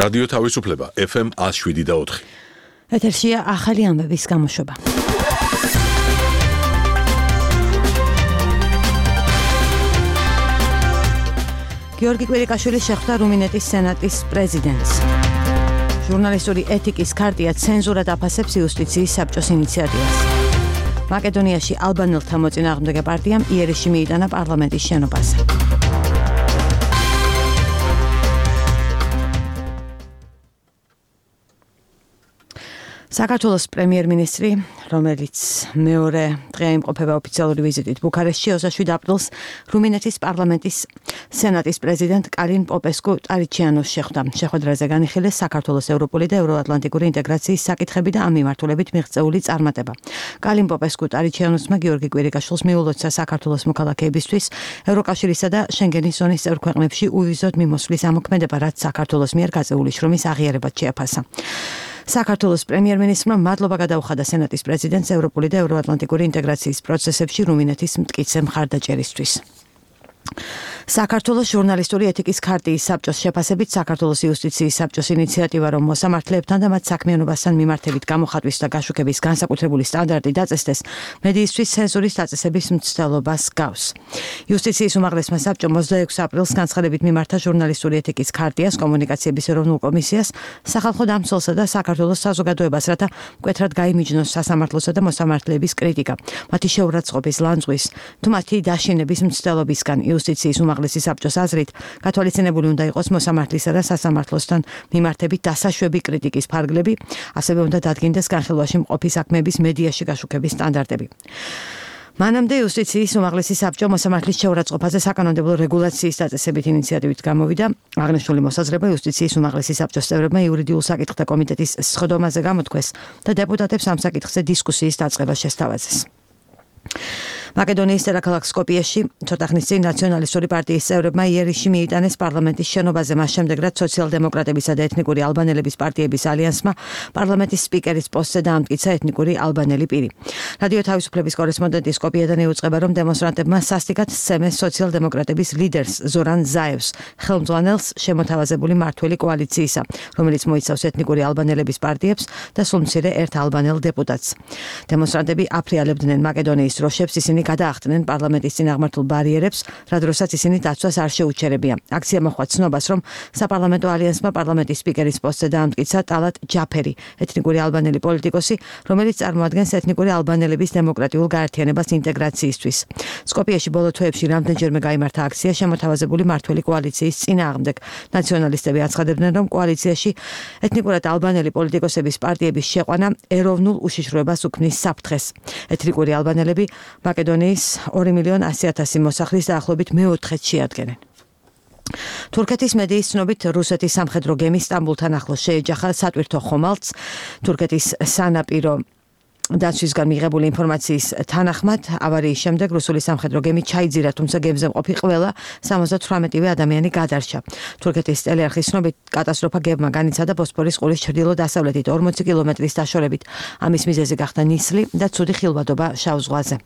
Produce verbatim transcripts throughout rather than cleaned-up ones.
რადიო თავისუფლება ეფ ემ ათს შვიდი და ოთხი. ეთერშია ახალი ამბების გამოშვება. გიორგი კვირიკაშვილი შეხვდა რუმინეთის სენატის პრეზიდენტს. ჟურნალისტური ეთიკის ქარტია ცენზურად აფასებს იუსტიციის საბჭოს ინიციატივას. მაკედონიაში ალბანელთა მოწინააღმდეგე პარტიამ იერეში მიიტანა პარლამენტის შენობაზე. საქართველოს პრემიერ-მინისტრი, რომელიც მეორე დღე იმყოფება ოფიციალური ვიზიტით ბუქარესტში, ოცდაშვიდ აპრილს რუმინეთის პარლამენტის სენატის პრეზიდენტ კალინ პოპესკუ ტარიჩიანოს შეხვდა. შეხვედრაზე განიხილეს საქართველოს ევროპული და ევროატლანტიკური ინტეგრაციის საკითხები და ამ მიმართულებით მიღწეული წარმატება. კალინ პოპესკუ ტარიჩიანოსმა გიორგი კვირიკაშვილს მიულოცა საქართველოს მოქალაქეებისთვის ევროკავშირისა და შენგენის ზონის წევრ ქვეყნებში უვიზოდ მიმოსვლის ამოქმედება, რაც საქართველოს მიერ გაწეული შრომის აღიარებად შეაფასა. საქართველოს პრემიერ-მინისტრმა მადლობა გადაუხადა სენატის პრეზიდენტს ევროპული და ევროატლანტიკური ინტეგრაციის პროცესებში რუმინეთის მტკიცე მხარდაჭერისთვის. საქართველოს ჟურნალისტური ეთიკის ქარტიის საბჭოს შეფასებით საქართველოს იუსტიციის საბჭოს ინიციატივა, რომ მოსამართლეებთან და მათ საქმიანობასთან მიმართებით გამოხატვის და გაშუქების განსაკუთრებული სტანდარტი დაწესდეს, მედიისთვის ცენზურის დაწესების მცდელობას გავს. იუსტიციის უმაღლესმა საბჭომ ოცდაექვსი აპრილს განცხადებით მიმართა ჟურნალისტური ეთიკის ქარტიას, კომუნიკაციების ეროვნულ კომისიას, სახალხო დამცველსა და საქართველოს საზოგადოებას, რათა მკვეთრად გაიმიჯნოს სასამართლოსა და მოსამართლეების კრიტიკა, მათი შეურაცხყოფის ლანძღვის თუ მათი დაშინების მცდელობისგან. იუსტიციის უმაღლესი საბჭოს აზრით, გათვალისწინებული უნდა იყოს მოსამართლისა და სასამართლოსთან მიმართებით დასაშვები კრიტიკის ფარგლები, ასევე უნდა დადგინდეს განხილვაში მყოფი საქმეების მედიაში გაშუქების სტანდარტები. მანამდე იუსტიციის უმაღლესი საბჭო მოსამართლის შეურაცხყოფაზე საკანონმდებლო რეგულაციის დაწესებით ინიციატივით გამოვიდა. აღნიშნული მოსაზრება იუსტიციის უმაღლესი საბჭოს წევრებმა იურიდიულ საკითხთა კომიტეტის სხდომაზე გამოთქვეს და დეპუტატებს ამ საკითხზე დისკუსიის დაწყება შესთავაზეს. მაკედონიის დედაქალაქ სკოპიეში ცოტა ხნის წინ ნაციონალისტური პარტიის წევრებმა იერეში მიიტანეს პარლამენტის შენობაზე, მას შემდეგ რაც სოციალ-დემოკრატებისა და ეთნიკური ალბანელების პარტიების ალიანსმა პარლამენტის სპიკერის პოსტზე დაამტკიცა ეთნიკური ალბანელი პირი. რადიო თავისუფლების კორესპონდენტი სკოპიედან იუწყება, რომ დემონსტრანტებმა სასტიკად სცემეს სოციალ-დემოკრატების ლიდერს ზორან ზაევს, ხელმძღვანელს შემოთავაზებული მმართველი კოალიციისა, რომელიც მოიცავს ეთნიკური ალბანელების პარტიებს და სულმცირე ერთ ალბანელ დეპუტატს. დემონსტრანტები აფრიალებდნენ მაკედონიის დროშებს, ისინი გადაახტნენ პარლამენტის წინაღმართულ ბარიერებს, რა დროსაც ისინი დაცვას არ შეუჩერებია. აქცია მოჰყვა ცნობას, რომ საპარლამენტო ალიანსმა პარლამენტის სპიკერის პოსტზე დაამტკიცა ტალატ ჯაფერი, ეთნიკური ალბანელი პოლიტიკოსი, რომელიც წარმოადგენს ეთნიკური ალბანელების დემოკრატიულ გაერთიანებას ინტეგრაციისთვის. სკოპიეში ბოლო თვეებში რამდენჯერმე გაიმართა აქცია შემოთავაზებული მმართველი კოალიციის წინააღმდეგ. ნაციონალისტები აცხადებდნენ, რომ კოალიციაში ეთნიკურად ალბანელი პოლიტიკოსების პარტიების შეყვანა ეროვნულ უშიშროებას უქმნის საფრთხეს. ეთნიკური ალბანელები მაკედონიის ორი მილიონი ასი ათასი მოსახლის დაახლოებით მეოთხედს შეადგენენ. თურქეთის მედიის ცნობით რუსეთის სამხედრო გემი სტამბულთან ახლოს შეეჯახა სატვირთო ხომალდს. თურქეთის სანაპირო დაცვისგან მიღებული ინფორმაციის თანახმად, ავარიის შემდეგ რუსული სამხედრო გემი ჩაიძირა, თუმცა გემზე მყოფი ყველა სამოცდათვრამეტივე ადამიანი გადარჩა. თურქეთის ტელეარხის ცნობით, კატასტროფა გემმა განიცადა ბოსფორის ყურის ჩრდილო-დასავლეთით ორმოცი კილომეტრის დაშორებით. ამის მიზეზი გახდა ნისლი და ცუდი ხილვადობა შავ ზღვაზე.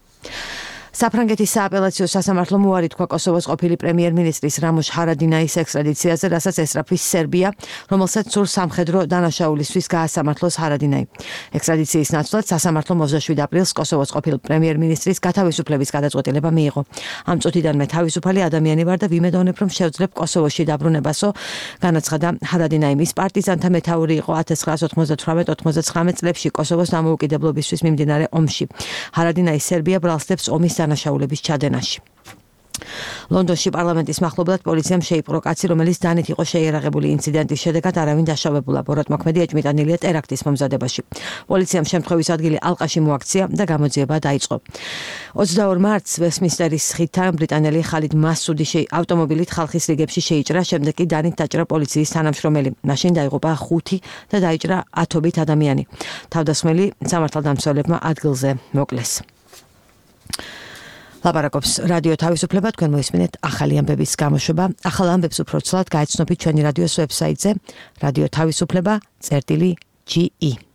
საფრანგეთის სააპელაციო სასამართლომ უარი თქვა კოსოვოს ყოფილი პრემიერ-მინისტრის რამოშ ჰარადინაის ექსტრადიციაზე, რასაც ესწრაფვის სერბია, რომელსაც სურს სამხედრო დანაშაულისთვის გაასამართლოს ჰარადინაი. ექსტრადიციის ნაცვლად სასამართლომ ოცდაშვიდ აპრილს კოსოვოს ყოფილ პრემიერ-მინისტრის გათავისუფლების გადაწყვეტილება მიიღო. ამ წუთიდანვე თავისუფალი ადამიანი ვარ და ვიმედოვნებ, რომ შევძლებ კოსოვოში დაბრუნებასო, განაცხადა ჰარადინაი. მის პარტიზანთა მეთაური იყო ათას ცხრაას ოთხმოცდათვრამეტ ოთხმოცდათხრამეტ წლებში კოსოვოს დამოუკიდებლობისთვის მიმდინარე ომში. ჰარადინაი სერბია ბრალსდებს ომის დანაშაულების ჩადენაში. ლონდონში პარლამენტის მახლობლად პოლიციამ შეიპყრო კაცი, რომელიც დანით იყო შეიარაღებული ინციდენტის შედეგად არავინ დაშავებულა. ბოროტმოქმედი ეჭვმიტანილია ტერაქტის მომზადებაში. პოლიციამ შემთხვევის ადგილი ალყაში მოაქცია და გამოძიება დაიწყო. ოცდაორ მარტს ვესტმინსტერის ხიდთან ბრიტანელი ხალიდ მასუდი ავტომობილით ხალხის რიგებში შეიჭრა, შემდეგ კი დანით დაჭრა პოლიციის თანამშრომელი. მაშინ დაიღუპა ხუთი და დაიჭრა ათობით ადამიანი. თავდასხმელი სამართალდამცველებმა ადგილზე მოკლეს. ლაპარაკობს რადიო თავისუფლება, თქვენ მოისმინეთ ახალი ამბების გამოშვება. ახალ ამბებს უფრო ცვლად გაეცნობით ჩვენი რადიოს ვებსაიტზე რადიო თავისუფლება წერტილი ჯი ი.